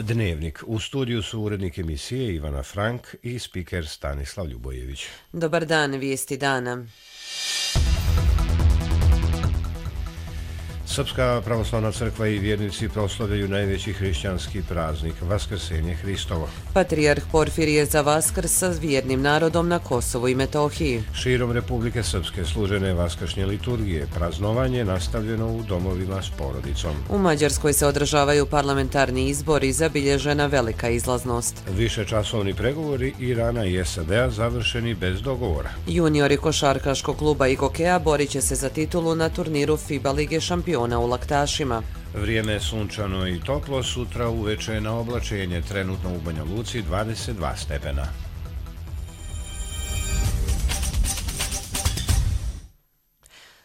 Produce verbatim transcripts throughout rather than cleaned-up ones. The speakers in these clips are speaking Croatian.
Dnevnik. U studiju su urednik emisije Ivana Frank i spiker Stanislav Ljubojević. Dobar dan, vijesti dana. Srpska pravoslavna crkva i vjernici proslavljaju najveći hrišćanski praznik, Vaskrsenje Hristovo. Patrijarh Porfirije za Vaskrs sa vjernim narodom na Kosovu i Metohiji. Širom Republike Srpske služene vaskršnje liturgije, praznovanje nastavljeno u domovima s porodicom. U Mađarskoj se održavaju parlamentarni izbori, zabilježena velika izlaznost. Višečasovni pregovori Irana i S A D-a završeni bez dogovora. Juniori košarkaškog kluba Igokea borit će se za titulu na turniru FIBA Lige šampiona u Laktašima. Vrijeme je sunčano i toplo, sutra uveče na oblačenje, trenutno u Banja Luci dvadeset dva stepena.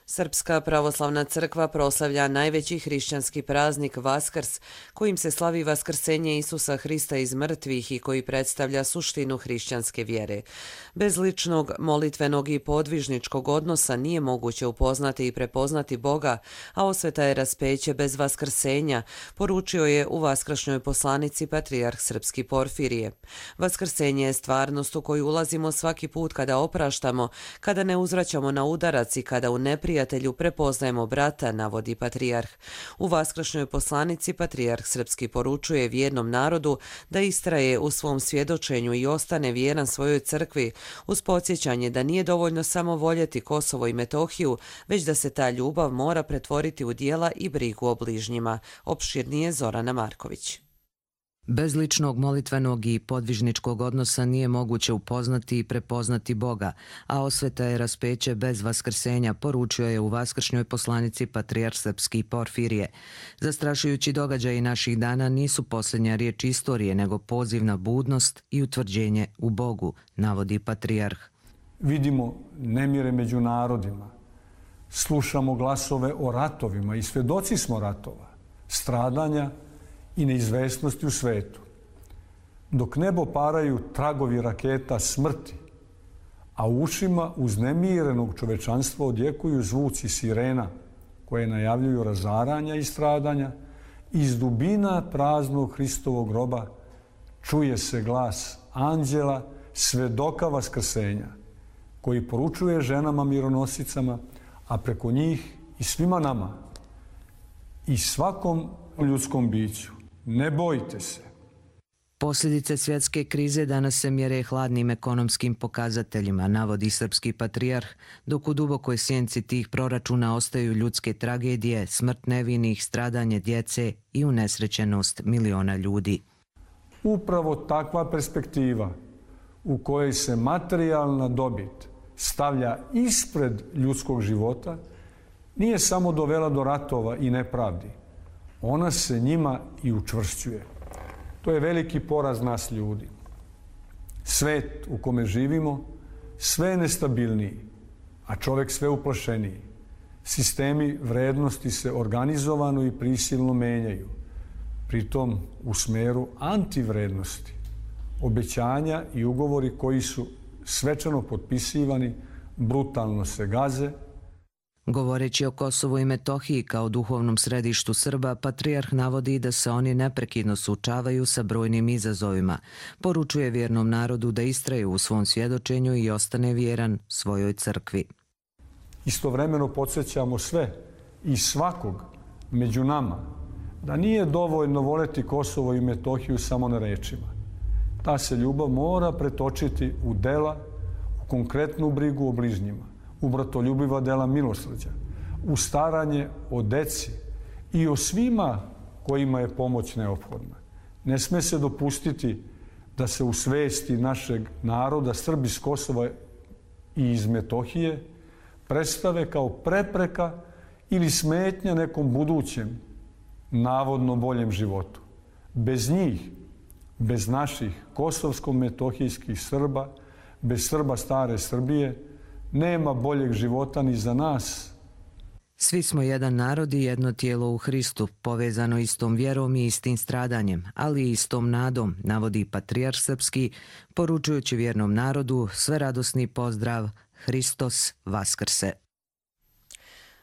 Srpska pravoslavna crkva proslavlja najveći hrišćanski praznik Vaskrs, kojim se slavi vaskrsenje Isusa Hrista iz mrtvih i koji predstavlja suštinu hrišćanske vjere. Bez ličnog, molitvenog i podvižničkog odnosa nije moguće upoznati i prepoznati Boga, a osveta je raspeće bez vaskrsenja, poručio je u vaskršnjoj poslanici patrijarh srpski Porfirije. Vaskrsenje je stvarnost u koju ulazimo svaki put kada opraštamo, kada ne uzvraćamo na udarac i kada u neprijatelju prepoznajemo brata, navodi patrijarh. U vaskršnjoj poslanici patrijarh srpski poručuje vjernom narodu da istraje u svom svjedočenju i ostane vjeran svojoj crkvi, uz podsjećanje da nije dovoljno samo voljeti Kosovo i Metohiju, već da se ta ljubav mora pretvoriti u djela i brigu o bližnjima. Opširnije Zorana Marković. Bez ličnog molitvenog i podvižničkog odnosa nije moguće upoznati i prepoznati Boga, a osveta je raspeće bez vaskrsenja, poručio je u vaskršnjoj poslanici patrijarh srpski Porfirije. Zastrašujući događaji naših dana nisu posljednja riječ istorije, nego poziv na budnost i utvrđenje u Bogu, navodi patrijarh. Vidimo nemire među narodima, slušamo glasove o ratovima i svjedoci smo ratova, stradanja i neizvesnosti u svetu. Dok nebo paraju tragovi raketa smrti, a u ušima uznemirenog čovečanstva odjekuju zvuci sirena koje najavljuju razaranja i stradanja, iz dubina praznog Hristovog groba čuje se glas anđela, svedoka vaskrsenja, koji poručuje ženama mironosicama, a preko njih i svima nama i svakom ljudskom biću. Ne bojte se. Posljedice svjetske krize danas se mjere hladnim ekonomskim pokazateljima, navodi srpski patrijarh, dok u dubokoj sjenci tih proračuna ostaju ljudske tragedije, smrt nevinih, stradanje djece i unesrećenost miliona ljudi. Upravo takva perspektiva u kojoj se materijalna dobit stavlja ispred ljudskog života nije samo dovela do ratova i nepravdi. Ona se njima i učvršćuje. To je veliki poraz nas ljudi. Svet u kome živimo sve je nestabilniji, a čovjek sve uplašeniji. Sistemi vrednosti se organizovano i prisilno menjaju, pritom u smeru antivrednosti. Obećanja i ugovori koji su svečano potpisivani brutalno se gaze. Govoreći o Kosovu i Metohiji kao duhovnom središtu Srba, patrijarh navodi da se oni neprekidno suočavaju sa brojnim izazovima. Poručuje vjernom narodu da istraje u svom svjedočenju i ostane vjeran svojoj crkvi. Istovremeno podsjećamo sve i svakog među nama da nije dovoljno voljeti Kosovo i Metohiju samo na rečima. Ta se ljubav mora pretočiti u dela, u konkretnu brigu o bližnjima, u bratoljubiva dela milosrđa, u staranje o deci i o svima kojima je pomoć neophodna. Ne sme se dopustiti da se u svesti našeg naroda Srbi iz Kosova i iz Metohije predstave kao prepreka ili smetnja nekom budućem, navodno boljem životu. Bez njih, bez naših kosovsko-metohijskih Srba, bez Srba stare Srbije, nema boljeg života ni za nas. Svi smo jedan narod i jedno tijelo u Hristu, povezano istom vjerom i istim stradanjem, ali i istom nadom, navodi patrijarh srpski, poručujući vjernom narodu sve radosni pozdrav Hristos Vaskrse.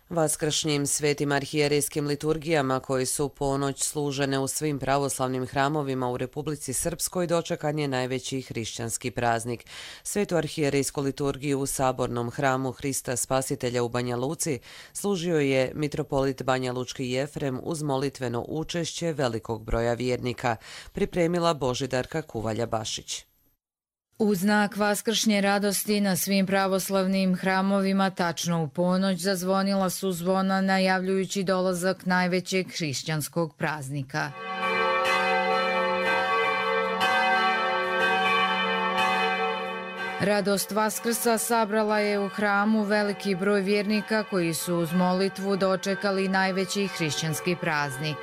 Vaskršnjim svetim arhijerejskim liturgijama koji su u ponoć služene u svim pravoslavnim hramovima u Republici Srpskoj dočekan je najveći hrišćanski praznik. Svetu arhijerejsku liturgiju u Sabornom hramu Hrista Spasitelja u Banja Luci služio je mitropolit Banja Lučki Jefrem uz molitveno učešće velikog broja vjernika, pripremila Božidarka Kuvalja-Bašić. U znak vaskršnje radosti na svim pravoslavnim hramovima tačno u ponoć zazvonila su zvona najavljujući dolazak najvećeg hrišćanskog praznika. Radost Vaskrsa sabrala je u hramu veliki broj vjernika koji su uz molitvu dočekali najveći hrišćanski praznik.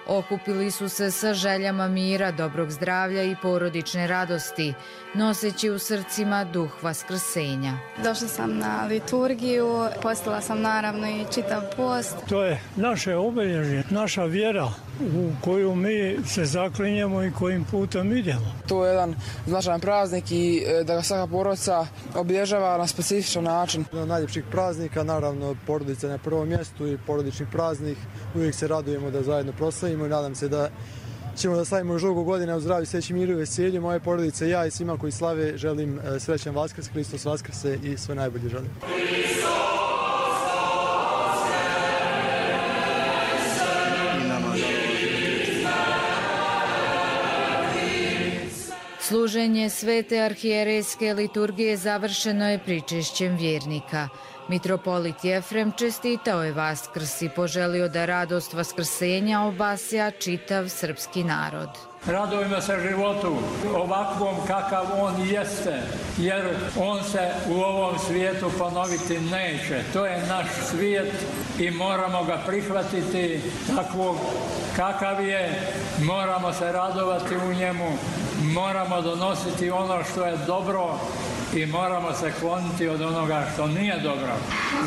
Okupili su se sa željama mira, dobrog zdravlja i porodične radosti, noseći u srcima duh vaskrsenja. Došla sam na liturgiju, postila sam naravno i čitav post. To je naše obilježje, naša vjera u koju mi se zaklinjemo i kojim putem idemo. To je jedan značajan praznik i da ga svaka porodica obilježava na specifičan način. Jedan od najljepših praznika, naravno porodica na prvom mjestu i porodični praznik. Uvijek se radujemo da zajedno proslavimo i nadam se da ćemo da slavimo još dugo godina u zdravlju, sreći, miru i veselju. Moje porodice, ja i svima koji slave želim srećan Vaskrs, Hristos Vaskrse i sve najbolje želim. Služenje svete arhijerejske liturgije završeno je pričešćem vjernika. Mitropolit Jefrem čestitao je Vaskrs i poželio da radost vaskrsenja obasja čitav srpski narod. Radujemo se životu ovakvom kakav on jeste, jer on se u ovom svijetu ponoviti neće. To je naš svijet i moramo ga prihvatiti takvog kakav je, moramo se radovati u njemu, moramo donositi ono što je dobro i moramo se kloniti od onoga što nije dobro.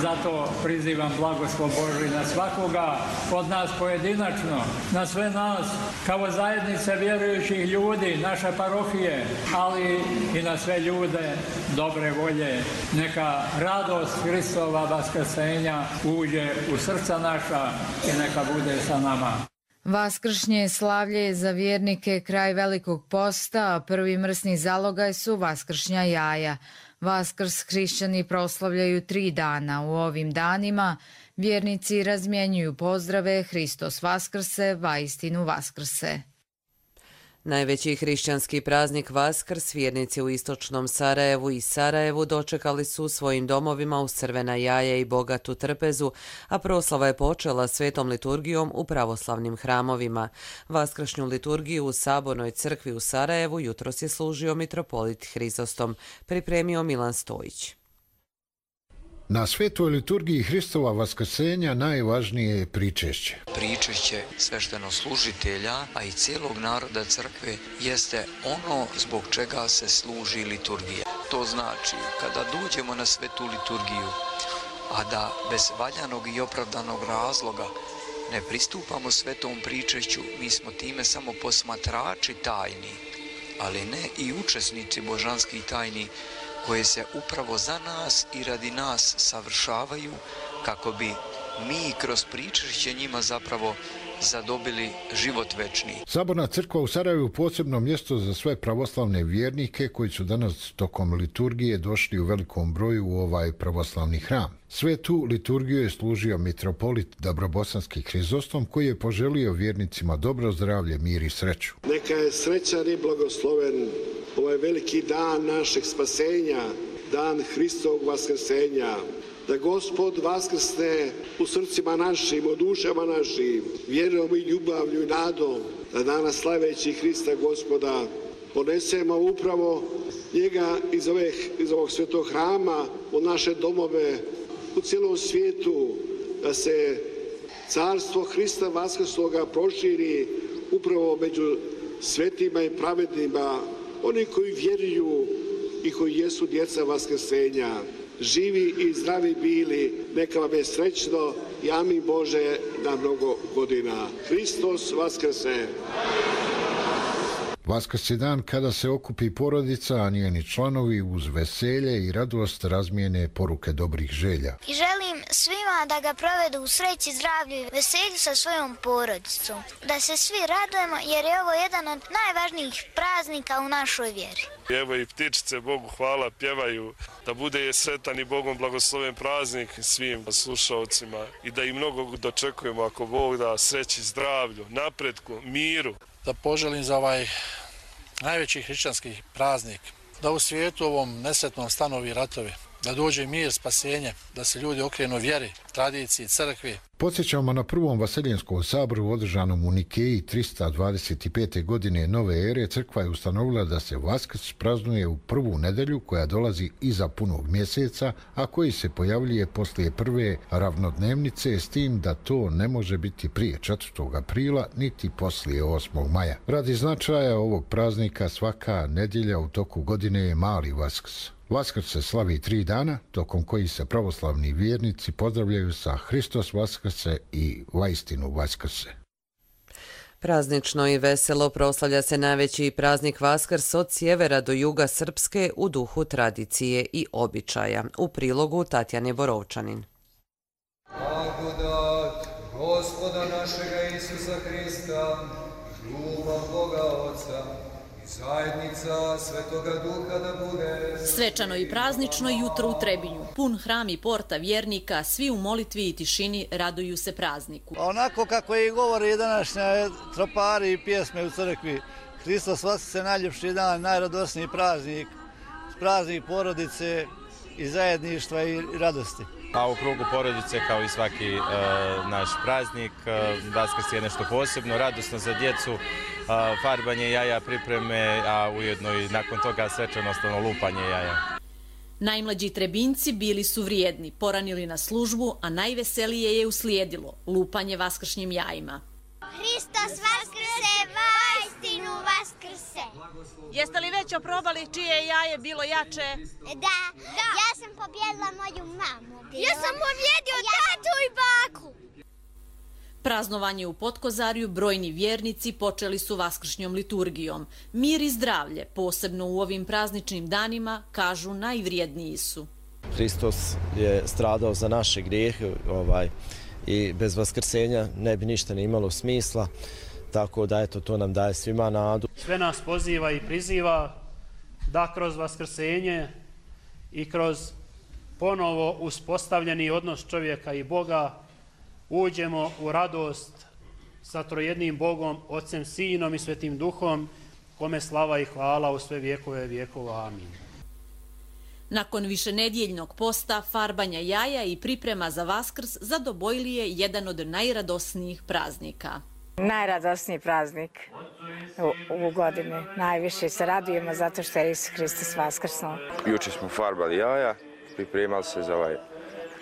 Zato prizivam blagoslov Božji na svakoga od nas pojedinačno, na sve nas kao zajednice vjerujućih ljudi, naše parohije, ali i na sve ljude dobre volje. Neka radost Hristova vaskrsenja uđe u srca naša i neka bude sa nama. Vaskršnje slavlje je za vjernike kraj Velikog posta, a prvi mrsni zalogaj su vaskršnja jaja. Vaskrs hrišćani proslavljaju tri dana. U ovim danima vjernici razmjenjuju pozdrave Hristos Vaskrse, vaistinu Vaskrse. Najveći hrišćanski praznik Vaskrs vjernici u istočnom Sarajevu i Sarajevu dočekali su u svojim domovima uz crvena jaja i bogatu trpezu, a proslava je počela svetom liturgijom u pravoslavnim hramovima. Vaskršnju liturgiju u Sabornoj crkvi u Sarajevu jutros je služio mitropolit Hrizostom, pripremio Milan Stojić. Na svetoj liturgiji Hristova vaskrsenja najvažnije je pričešće. Pričešće sveštenoslужitelja, a i cijelog naroda crkve, jeste ono zbog čega se služi liturgija. To znači, kada dođemo na svetu liturgiju, a da bez valjanog i opravdanog razloga ne pristupamo svetom pričešću, mi smo time samo posmatrači tajni, ali ne i učesnici božanskih tajni, koje se upravo za nas i radi nas savršavaju kako bi mi kroz pričešće njima zapravo zadobili život večni. Saborna crkva u Sarajevu posebno mjesto za sve pravoslavne vjernike koji su danas tokom liturgije došli u velikom broju u ovaj pravoslavni hram. Svetu liturgiju je služio mitropolit Dabrobosanski Hrizostom koji je poželio vjernicima dobro zdravlje, mir i sreću. Neka je srećan i blagosloven ovaj veliki dan našeg spasenja, dan Hristovog vaskrsenja. Da Gospod vaskrsne u srcima našim, u dušama našim, vjerom i ljubavlju i nadom, da danas slaveći Hrista Gospoda ponesemo upravo njega iz, ovih, iz ovog svetog hrama u naše domove, u cijelom svijetu, da se carstvo Hrista vaskrsloga proširi upravo među svetima i pravednima, oni koji vjeruju i koji jesu djeca vaskrsenja. Živi i zdravi bili, neka vam je srećno i amin Bože na mnogo godina. Hristos Vaskrse! Vaskrs je dan kada se okupi porodica, a njeni članovi uz veselje i radost razmijene poruke dobrih želja. I želim svima da ga provedu u sreći, zdravlju i veselju sa svojom porodicom. Da se svi radujemo jer je ovo jedan od najvažnijih praznika u našoj vjeri. Evo i ptičice, Bogu hvala, pjevaju da bude sretan i Bogom blagosloven praznik svim slušalcima i da ih mnogo dočekujemo ako Bog da sreći, zdravlju, napretku, miru. Da poželim za ovaj najveći hrišćanski praznik, da u svijetu ovom nesretnom stanovi ratovi, da dođe mir, spasenje, da se ljudi okrenu vjeri, tradiciji, crkvi. Podsjećamo na prvom Vaselijanskom saboru održanom u Nikeji trista dvadeset pete. godine nove ere. Crkva je ustanovila da se Vaskrs praznuje u prvu nedelju koja dolazi iza punog mjeseca, a koji se pojavljuje poslije prve ravnodnevnice, s tim da to ne može biti prije četvrtog aprila niti poslije osmog maja. Radi značaja ovog praznika svaka nedjelja u toku godine je mali Vaskrs. Vaskrs se slavi tri dana, tokom kojih se pravoslavni vjernici pozdravljaju sa Hristos Vaskrse i Vaistinu Vaskrse. Praznično i veselo proslavlja se najveći praznik Vaskrs od sjevera do juga Srpske u duhu tradicije i običaja. U prilogu Tatjane Borovčanin. Blagodat Gospoda našega Isusa Hrista, ljubav Boga Otca, zajednica Svetoga Duha da bude... Svečano i praznično jutro u Trebinju. Pun hram i porta vjernika, svi u molitvi i tišini raduju se prazniku. Onako kako i govori današnja tropari i pjesme u crkvi, Hristos Vaskrse najljepši dan, najradosniji praznik, praznik porodice i zajedništva i radosti. A u krugu porodice, kao i svaki e, naš praznik, e, Vaskrs je nešto posebno, radosno za djecu, e, farbanje jaja, pripreme, a ujedno i nakon toga svečanosno lupanje jaja. Najmlađi Trebinjci bili su vrijedni, poranili na službu, a najveselije je uslijedilo lupanje vaskršnjim jajima. Hristos Vaskrse, Vaistinu Vaskrse. Jeste li već oprobali čije je jaje bilo jače? Da, da. Ja sam pobjedila moju mamu. Ja sam pobjedio tatu i baku. Praznovanje u Potkozarju brojni vjernici počeli su vaskršnjom liturgijom. Mir i zdravlje, posebno u ovim prazničnim danima, kažu najvrijedniji su. Hristos je stradao za naše grijehe, ovaj, i bez vaskrsenja ne bi ništa ne imalo smisla, tako da eto, to nam daje svima nadu. Sve nas poziva i priziva da kroz vaskrsenje i kroz ponovo uspostavljeni odnos čovjeka i Boga uđemo u radost sa trojednim Bogom, Otcem, Sinom i Svetim Duhom, kome slava i hvala u sve vjekove vjekova. Amin. Nakon višenedjeljnog posta, farbanja jaja i priprema za Vaskrs zadobojili je jedan od najradosnijih praznika. Najradosniji praznik u, u godini. Najviše se radujemo zato što je Isus Hristos vaskrsnuo. Juče smo farbali jaja, pripremali se za ovaj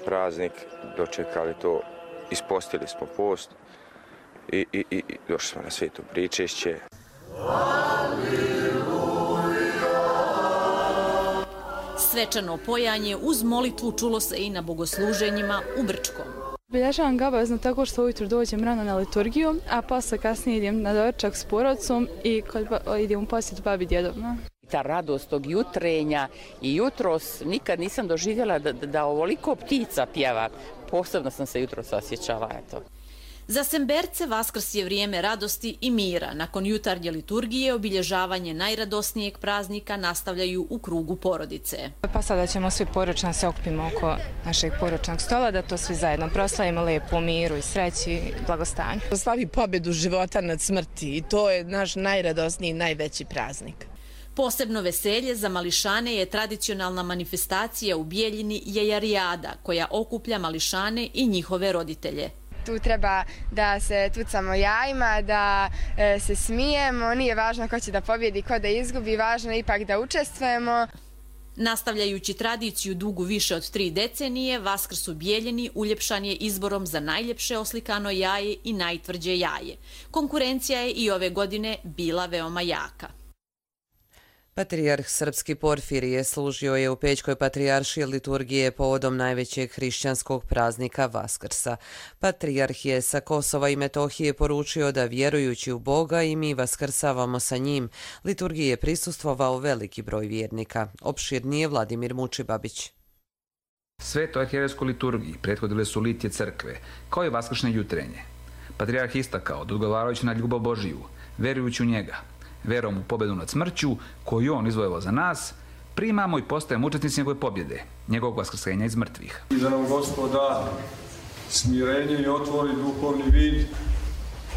praznik, dočekali to, ispostili smo post i, i, i došli smo na sveto pričešće. Svečano pojanje uz molitvu čulo se i na bogosluženjima u Brčkom. Obilježavam ga obavezno tako što ujutro dođem rano na liturgiju, a posle kasnije idem na doručak s porodicom i kod, idem u posjetu babi djedovima. Ta radost tog jutrenja i jutros nikad nisam doživjela da, da ovoliko ptica pjeva. Posebno sam se jutros osjećala, eto. Za Semberce Vaskrs je vrijeme radosti i mira. Nakon jutarnje liturgije obilježavanje najradosnijeg praznika nastavljaju u krugu porodice. Pa sada ćemo svi poročno se okupimo oko našeg poročnog stola, da to svi zajedno proslavimo lepo u miru i sreći i blagostanju. Slavi pobjedu života nad smrti i to je naš najradosniji i najveći praznik. Posebno veselje za mališane je tradicionalna manifestacija u Bijeljini Jejarijada, koja okuplja mališane i njihove roditelje. Tu treba da se tucamo jajima, da e, se smijemo, nije važno ko će da pobjedi, ko da izgubi, važno je ipak da učestvujemo. Nastavljajući tradiciju dugu više od tri decenije, Vaskrs u Bijeljini uljepšan je izborom za najljepše oslikano jaje i najtvrđe jaje. Konkurencija je i ove godine bila veoma jaka. Patrijarh srpski Porfirije služio je u Pećkoj patrijaršiji liturgije povodom najvećeg hrišćanskog praznika Vaskrsa. Patrijarh je sa Kosova i Metohije poručio da vjerujući u Boga i mi vaskrsavamo sa njim. Liturgiji je prisustvovao veliki broj vjernika. Opširnije Vladimir Mučibabić. Svetoj arhijerejskoj liturgiji prethodile su litije crkve, kao i vaskršnje jutrenje. Patrijarh istakao da odgovarajući na ljubav Božiju, verujući u njega, verom u pobedu nad smrću, koju on izvojevao za nas, primamo i postajemo učesnici njegove pobjede, njegovog vaskrsenja iz mrtvih. I da nam Gospod da smirenje i otvori duhovni vid,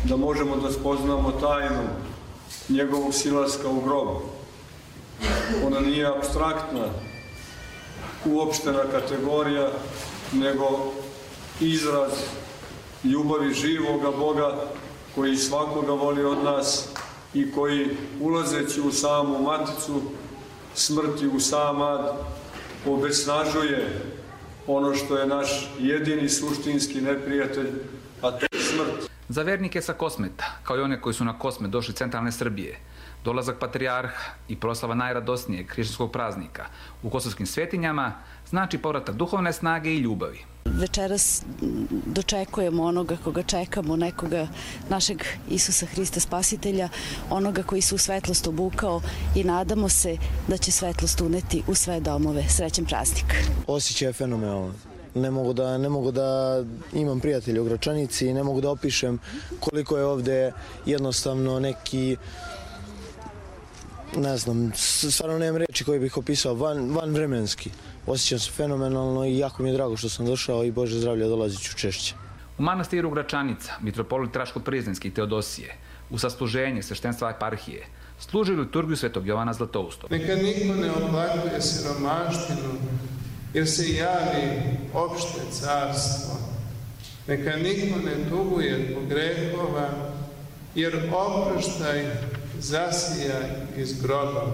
da možemo da spoznamo tajnu njegovog silaska u grob. Ona nije apstraktna, uopštena kategorija, nego izraz ljubavi živoga Boga koji svakoga voli od nas i koji, ulazeći u samu maticu smrti, u sam ad, obesnažuje ono što je naš jedini suštinski neprijatelj, a to je smrt. Za vernike sa Kosmeta, kao i one koji su na Kosmet došli centralne Srbije, dolazak patrijarha i proslava najradosnijeg hrišćanskog praznika u kosovskim svetinjama znači povratak duhovne snage i ljubavi. Večeras dočekujemo onoga koga čekamo, nekoga našeg Isusa Hrista Spasitelja, onoga koji se u svetlost obukao i nadamo se da će svetlost uneti u sve domove. Srećan praznik. Osjećaj je fenomenalan. Ne mogu da, ne mogu da imam prijatelje u Gračanici, ne mogu da opišem koliko je ovde jednostavno neki, ne znam, stvarno nemam reči koje bih opisao, van, van vremenski. Osjećam se fenomenalno i jako mi je drago što sam došao i Bože zdravlja, dolazit ću češće. U manastiru Gračanica, mitropolit Raško-Prizrenski Teodosije, u sasluženje sveštenstva eparhije, služi liturgiju Svetog Jovana Zlatoustog. Neka niko ne oplakuje siromaštinu, jer se javi opšte carstvo. Neka niko ne tuguje zbog grehova, jer oproštaj zasija iz groba.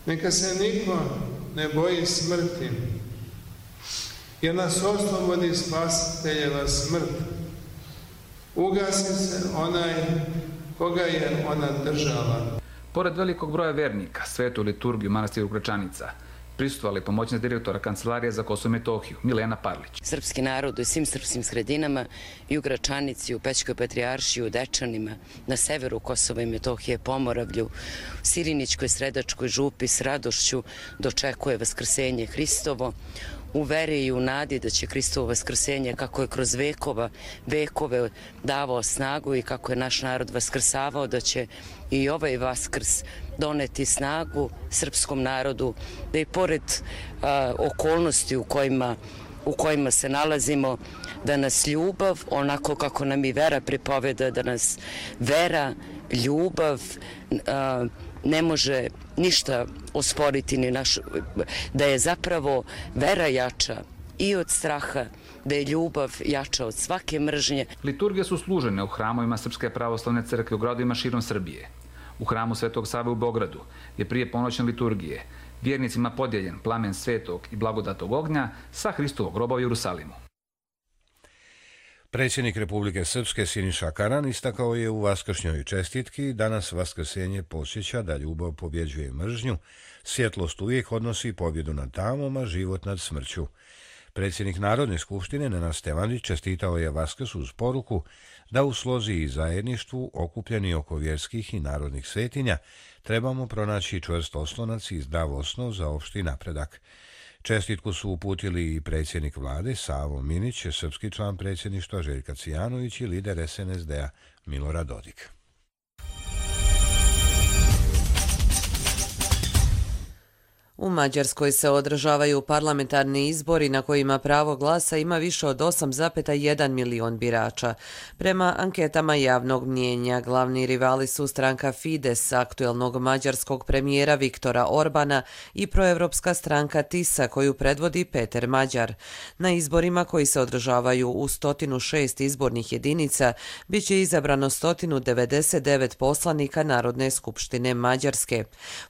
Neka se niko ne boji smrti, jer nas oslobodi Spasiteljeva smrt. Ugasi se onaj koga je ona držala. Pored velikog broja vernika, svetu liturgiju manastiru Gračanica prisustvovali pomoćnik direktora Kancelarije za Kosovo i Metohiju, Milena Parlić. Srpski narod u svim srpskim sredinama i u Gračanici, u Pećkoj patrijaršiji, u Dečanima, na severu Kosova i Metohije, Pomoravlju, u Sirinićkoj, Sredačkoj župi s radošću dočekuje vaskrsenje Hristovo, u veri i u nadi da će Hristovo vaskrsenje, kako je kroz vekova, vekove davao snagu i kako je naš narod vaskrsavao, da će i ovaj Vaskrs doneti snagu srpskom narodu, da i pored a, okolnosti u kojima, u kojima se nalazimo, da nas ljubav, onako kako nam i vera pripoveda, da nas vera, ljubav a, ne može ništa osporiti, ni naš, da je zapravo vera jača i od straha, da je ljubav jača od svake mržnje. Liturgije su služene u hramovima Srpske pravoslavne crkve u gradovima širom Srbije. U hramu Svetog Save u Beogradu je prije ponoćne liturgije vjernicima podijeljen plamen svetog i blagodatog ognja sa Hristovog groba u Jerusalimu. Predsjednik Republike Srpske Siniša Karan istakao je u vaskršnjoj čestitki: danas vaskrsenje podsjeća da ljubav pobjeđuje mržnju, svjetlost uvijek odnosi pobjedu nad tamom, a život nad smrću. Predsjednik Narodne skupštine Nenad Stevanović čestitao je Vaskrs uz poruku da u slozi i zajedništvu, okupljeni oko vjerskih i narodnih svetinja, trebamo pronaći čvrst oslonac i zdrav osnov za opšti napredak. Čestitku su uputili i predsjednik vlade Savo Minić, srpski član predsjedništva Željka Cijanović i lider es en es de-a Milorad Dodik. U Mađarskoj se održavaju parlamentarni izbori na kojima pravo glasa ima više od osam zarez jedan milion birača. Prema anketama javnog mnijenja, glavni rivali su stranka Fides, aktuelnog mađarskog premijera Viktora Orbana, i proevropska stranka Tisa, koju predvodi Peter Mađar. Na izborima koji se održavaju u sto šest izbornih jedinica biće izabrano sto devedeset devet poslanika Narodne skupštine Mađarske.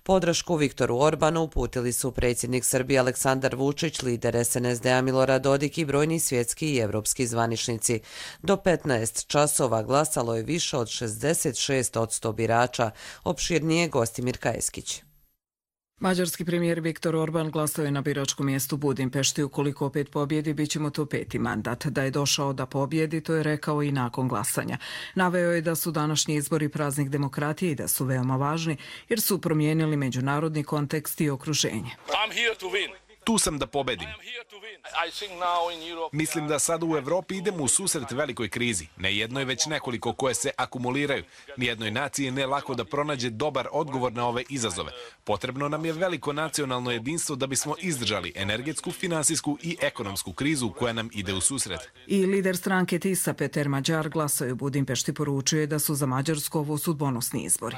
Podršku Viktoru Orbanu uputili su predsjednik Srbije Aleksandar Vučić, lider es en es de-a Milorad Dodik i brojni svjetski i evropski zvaničnici. Do petnaest časova glasalo je više od šezdeset šest posto birača. Opširnije Gostimir Kajeskić. Mađarski premijer Viktor Orban glasao je na biračkom mjestu u Budimpešti. Ukoliko opet pobjedi, bit će mu to peti mandat. Da je došao da pobjedi, to je rekao i nakon glasanja. Naveo je da su današnji izbori praznik demokratije i da su veoma važni jer su promijenili međunarodni kontekst i okruženje. Tu sam da pobedim. Mislim da sad u Evropi idemo u susret velikoj krizi. Ne jednoj, već nekoliko koje se akumuliraju. Nijednoj naciji ne lako da pronađe dobar odgovor na ove izazove. Potrebno nam je veliko nacionalno jedinstvo da bismo izdržali energetsku, finansijsku i ekonomsku krizu koja nam ide u susret. I lider stranke Tisa Peter Mađar glasao je u Budimpešti, poručuje da su za Mađarsku ovo sudbonosni izbori.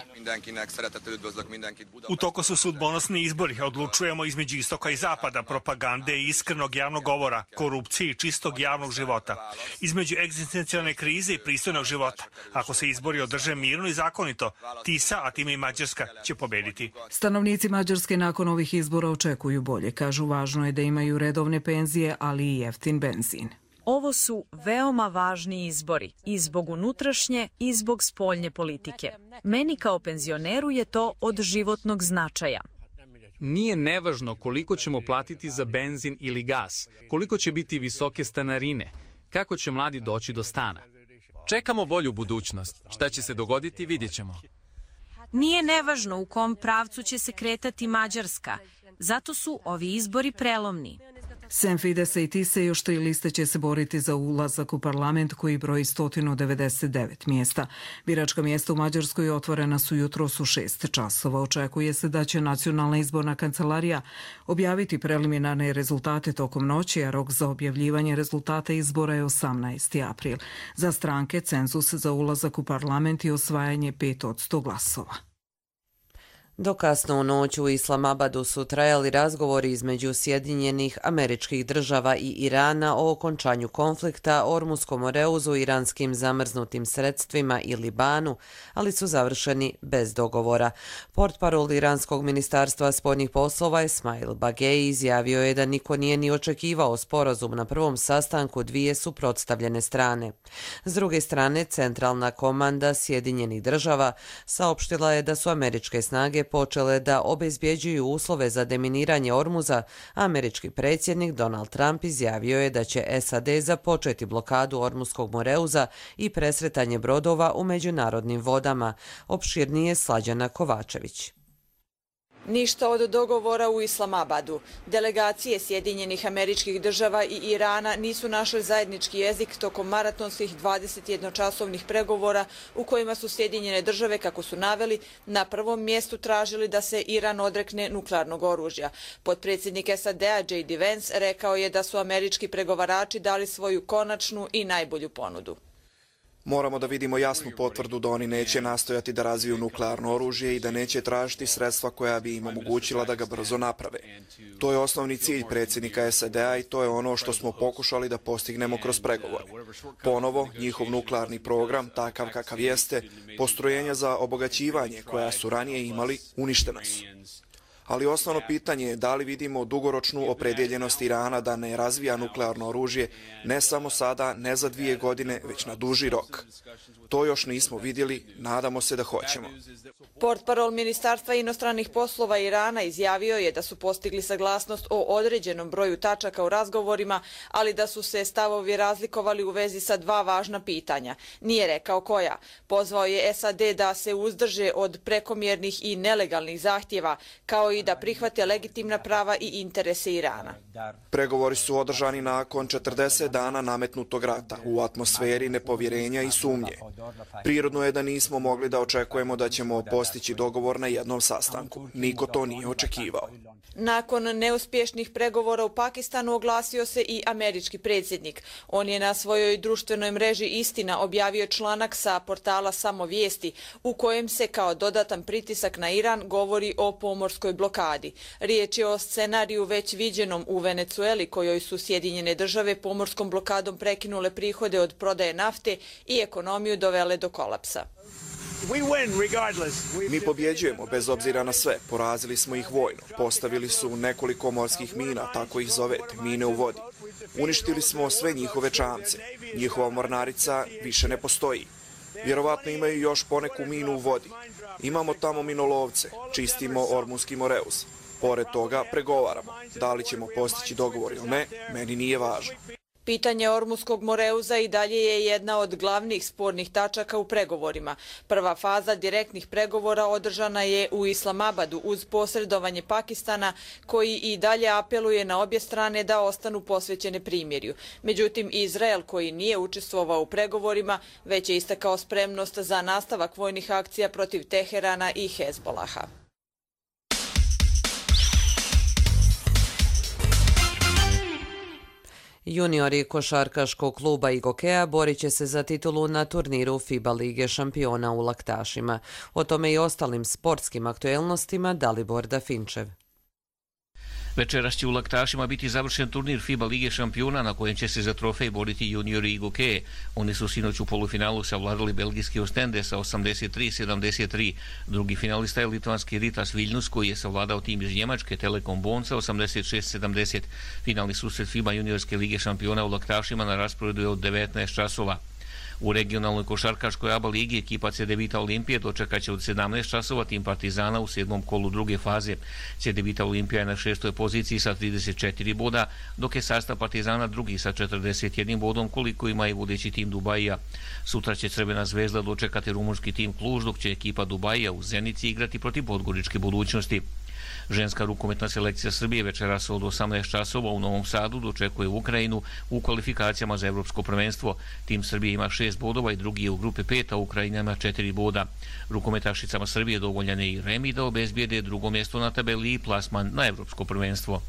U toku su sudbonosni izbori. Odlučujemo između istoka i zapada, propagande i iskrenog javnog govora, korupcije i čistog javnog života. Između egzistencijalne krize i pristojnog života. Ako se izbori održe mirno i zakonito, Tisa, a time i Mađarska, će pobediti. Stanovnici Mađarske nakon ovih izbora očekuju bolje. Kažu, važno je da imaju redovne penzije, ali i jeftin benzin. Ovo su veoma važni izbori i zbog unutrašnje i zbog spoljne politike. Meni kao penzioneru je to od životnog značaja. Nije nevažno koliko ćemo platiti za benzin ili gas, koliko će biti visoke stanarine, kako će mladi doći do stana. Čekamo bolju budućnost. Šta će se dogoditi, vidjet ćemo. Nije nevažno u kom pravcu će se kretati Mađarska, zato su ovi izbori prelomni. Sem Fidesa i Tise još tri liste će se boriti za ulazak u parlament koji broji sto devedeset devet mjesta. Biračka mjesta u Mađarskoj otvorena su jutros u šest časova. Očekuje se da će Nacionalna izborna kancelarija objaviti preliminarne rezultate tokom noći, a rok za objavljivanje rezultata izbora je osamnaesti april. Za stranke cenzus za ulazak u parlament i osvajanje pet od sto glasova. Do kasno u noć u Islamabadu su trajali razgovori između Sjedinjenih Američkih Država i Irana o okončanju konflikta, Ormuskom moreuzu, iranskim zamrznutim sredstvima i Libanu, ali su završeni bez dogovora. Portparol Iranskog ministarstva spoljnih poslova Esmail Bagei izjavio je da niko nije ni očekivao sporazum na prvom sastanku dvije suprotstavljene strane. S druge strane, centralna komanda Sjedinjenih Država saopštila je da su američke snage počele da obezbjeđuju uslove za deminiranje Ormuza, a američki predsjednik Donald Trump izjavio je da će S A D započeti blokadu Ormuskog moreuza i presretanje brodova u međunarodnim vodama. Opširnije Slađana Kovačević. Ništa od dogovora u Islamabadu. Delegacije Sjedinjenih Američkih Država i Irana nisu našli zajednički jezik tokom maratonskih dvadesetjednočasovnih pregovora u kojima su Sjedinjene Države, kako su naveli, na prvom mjestu tražili da se Iran odrekne nuklearnog oružja. Potpredsjednik S A D-a J D Vance rekao je da su američki pregovarači dali svoju konačnu i najbolju ponudu. Moramo da vidimo jasnu potvrdu da oni neće nastojati da razviju nuklearno oružje i da neće tražiti sredstva koja bi im omogućila da ga brzo naprave. To je osnovni cilj predsjednika S A D-a i to je ono što smo pokušali da postignemo kroz pregovore. Ponovo, njihov nuklearni program, takav kakav jeste, postrojenja za obogaćivanje koja su ranije imali, uništena su. Ali osnovno pitanje je da li vidimo dugoročnu opredjeljenost Irana da ne razvija nuklearno oružje ne samo sada, ne za dvije godine, već na duži rok. To još nismo vidjeli, nadamo se da hoćemo. Portparol Ministarstva inostranih poslova Irana izjavio je da su postigli saglasnost o određenom broju tačaka u razgovorima, ali da su se stavovi razlikovali u vezi sa dva važna pitanja. Nije rekao koja. Pozvao je S A D da se uzdrže od prekomjernih i nelegalnih zahtjeva, kao i da prihvate legitimna prava i interese Irana. Pregovori su održani nakon četrdeset dana nametnutog rata u atmosferi nepovjerenja i sumnje. Prirodno je da nismo mogli da očekujemo da ćemo postići dogovor na jednom sastanku. Niko to nije očekivao. Nakon neuspješnih pregovora u Pakistanu oglasio se i američki predsjednik. On je na svojoj društvenoj mreži Istina objavio članak sa portala Samovijesti u kojem se kao dodatan pritisak na Iran govori o pomorskoj blokadi. Riječ je o scenariju već viđenom u Venecueli, kojoj su Sjedinjene Države pomorskom blokadom prekinule prihode od prodaje nafte i ekonomiju dovele do kolapsa. Mi pobjeđujemo bez obzira na sve. Porazili smo ih vojno. Postavili su nekoliko morskih mina, tako ih zovete, mine u vodi. Uništili smo sve njihove čamce. Njihova mornarica više ne postoji. Vjerovatno imaju još poneku minu u vodi. Imamo tamo minolovce, čistimo Ormuski moreuz. Pored toga pregovaramo. Da li ćemo postići dogovor ili ne, meni nije važno. Pitanje Ormuskog Moreuza i dalje je jedna od glavnih spornih tačaka u pregovorima. Prva faza direktnih pregovora održana je u Islamabadu uz posredovanje Pakistana, koji i dalje apeluje na obje strane da ostanu posvećene primirju. Međutim, Izrael, koji nije učestvovao u pregovorima, već je istakao spremnost za nastavak vojnih akcija protiv Teherana i Hezbolaha. Juniori košarkaškog kluba Igokea borit će se za titulu na turniru FIBA Lige šampiona u Laktašima. O tome i ostalim sportskim aktuelnostima Dalibor Dafinčev. Večeras će u Laktašima biti završen turnir FIBA Lige šampiona na kojem će se za trofej boriti juniori Igokeje. Oni su sinoć u polufinalu savladali belgijski Ostende sa osamdeset tri sedamdeset tri. Drugi finalista je litvanski Ritas Vilnius koji je savladao tim iz Njemačke Telekom Bonn sa osamdeset šest sedamdeset. Finalni susret FIBA juniorske Lige šampiona u Laktašima na rasporedu je od devetnaest časova. U regionalnoj košarkaškoj A B A ligi ekipa C D Vita Olimpije dočekaće od sedamnaest časova tim Partizana u sedmom kolu druge faze. C D Vita Olimpija je na šestoj poziciji sa trideset četiri boda, dok je sastav Partizana drugi sa četrdeset jednim bodom koliko ima i vodeći tim Dubajija. Sutra će Crvena zvezda dočekati rumunski tim Kluž, dok će ekipa Dubajija u Zenici igrati protiv Podgoričke Budućnosti. Ženska rukometna selekcija Srbije večeras od osamnaest časova u Novom Sadu dočekuje Ukrajinu u kvalifikacijama za evropsko prvenstvo. Tim Srbije ima šest bodova i drugi je u grupi pet, a Ukrajina ima četiri boda. Rukometašicama Srbije dovoljan je i remi da obezbijede drugo mjesto na tabeli i plasman na evropsko prvenstvo.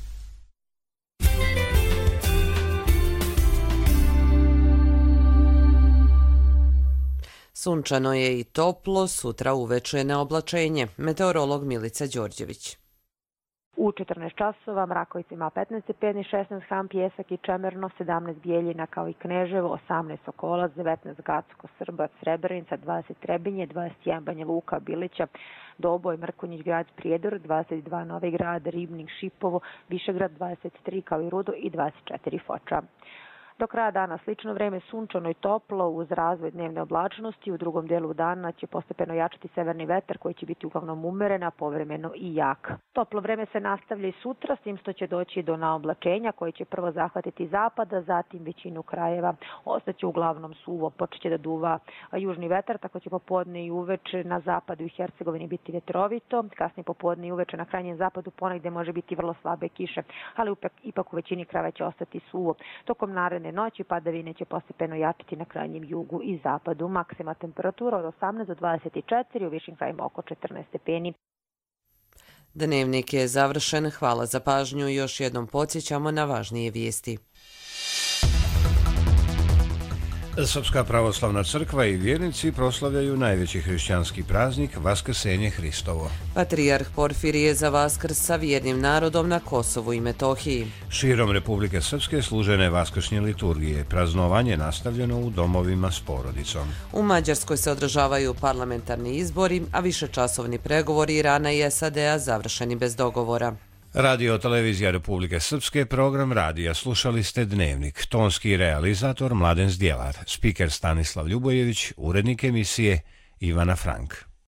Sunčano je i toplo, sutra uveče na oblačenje. Meteorolog Milica Đorđević. U četrnaest časova Mrakovica ima petnaest stepeni, šesnaest Ham, Pjesak i Čemerno, sedamnaest Bijeljina kao i Kneževo, osamnaest Sokolac, devetnaest Gacko, Srbac, Srebrenica, dvadeset Trebinje, dvadeset jedan Banja Luka, Bilića, Doboj, Mrkonjić, Grad, Prijedor, dvadeset dva Novi Grad, Ribnik, Šipovo, Višegrad, dvadeset tri kao i Rudo i dvadeset četiri Foča. Do kraja dana slično vreme, sunčano i toplo uz razvoj dnevne oblačnosti. U drugom delu dana će postepeno jačati severni vetar koji će biti uglavnom umeren, a povremeno i jak. Toplo vreme se nastavlja i sutra, s tim što će doći do naoblačenja koji će prvo zahvatiti zapada, zatim većinu krajeva. Ostaće uglavnom suvo, počeće da duva južni vetar, tako će popodne i uveče na zapadu i Hercegovini biti vetrovito. Kasnije popodne i uveče na krajnjem zapadu ponegde može biti vrlo slabe kiše, ali ipak u većini krajeva će ostati suvo. Tokom naredne noći padavine će postepeno jačiti na krajnjem jugu i zapadu. Maksima temperatura od osamnaest do dvadeset četiri, u višim krajima oko četrnaest stepeni. Dnevnik je završen. Hvala za pažnju. Još jednom podsjećamo na važnije vijesti. Srpska pravoslavna crkva i vjernici proslavljaju najveći hrišćanski praznik Vaskrsenje Hristovo. Patrijarh Porfirije za Vaskrs sa vjernim narodom na Kosovu i Metohiji. Širom Republike Srpske služene vaskršnje liturgije. Praznovanje nastavljeno u domovima s porodicom. U Mađarskoj se održavaju parlamentarni izbori, a višečasovni pregovori Irana i S A D-a završeni bez dogovora. Radio televizija Republike Srpske, program radija. Slušali ste Dnevnik. Tonski realizator Mladen Zdjelar. Spiker Stanislav Ljubojević, urednik emisije Ivana Frank.